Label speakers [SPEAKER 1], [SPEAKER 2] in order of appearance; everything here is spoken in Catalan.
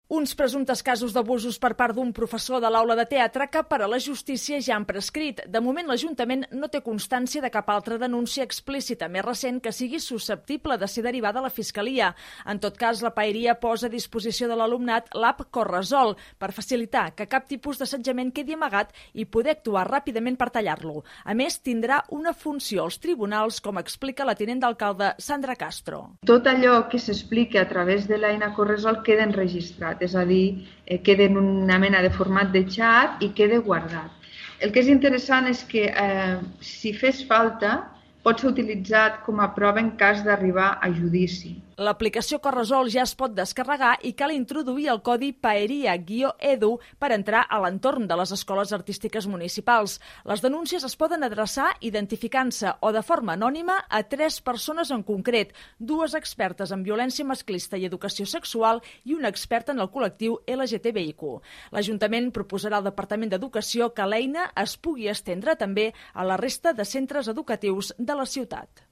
[SPEAKER 1] Uns presumptes casos d'abusos per part d'un professor de l'aula de teatre que per a la justícia ja han prescrit. De moment, l'Ajuntament no té constància de cap altra denúncia explícita més recent que sigui susceptible de ser derivada a la Fiscalia. En tot cas, la Paeria posa a disposició de l'alumnat l'app Corresol per facilitar que cap tipus d'assetjament quedi amagat i poder actuar ràpidament per tallar-lo. A més, tindrà una funció als tribunals, com explica la tinent d'alcalde Sandra Castro.
[SPEAKER 2] Tot allò que s'explica a través de l'eina Corresol queda enregistrat. És a dir, queda en una mena de format de xat i queda guardat. El que és interessant és que, si fes falta, pot ser utilitzat com a prova en cas d'arribar a judici.
[SPEAKER 1] L'aplicació Corresol ja es pot descarregar i cal introduir el codi Paeria-EDU per entrar a l'entorn de les escoles artístiques municipals. Les denúncies es poden adreçar identificant-se o de forma anònima a 3 persones en concret, 2 expertes en violència masclista i educació sexual i una experta en el col·lectiu LGTBIQ. L'Ajuntament proposarà al Departament d'Educació que l'eina es pugui estendre també a la resta de centres educatius de la ciutat.